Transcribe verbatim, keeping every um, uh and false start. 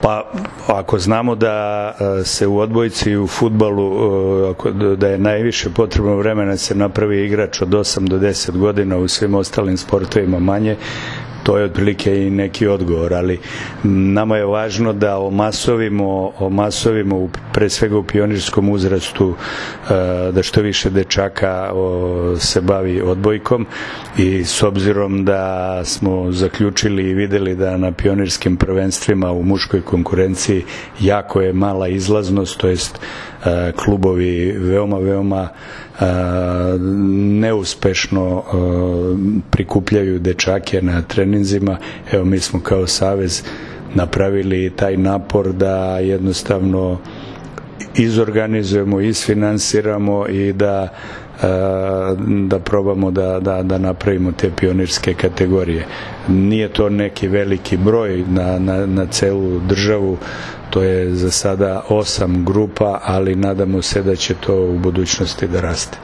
Pa ako znamo da se u odbojci i u fudbalu da je najviše potrebno vremena se napravi igrač od osam do deset godina, u svim ostalim sportovima manje, to je otprilike i neki odgovor, ali nama je važno da omasovimo, omasovimo pre svega u pionirskom uzrastu, da što više dečaka se bavi odbojkom, i s obzirom da smo zaključili i videli da na pionirskim prvenstvima u muškoj konkurenciji jako je mala izlaznost, to jest klubovi veoma, veoma neuspešno prikupljaju dečake na treninzima. Evo, mi smo kao savez napravili taj napor da jednostavno izorganizujemo, isfinansiramo i da da probamo da, da, da napravimo te pionirske kategorije. Nije to neki veliki broj na, na, na celu državu, to je za sada osam grupa, ali nadamo se da će to u budućnosti da raste.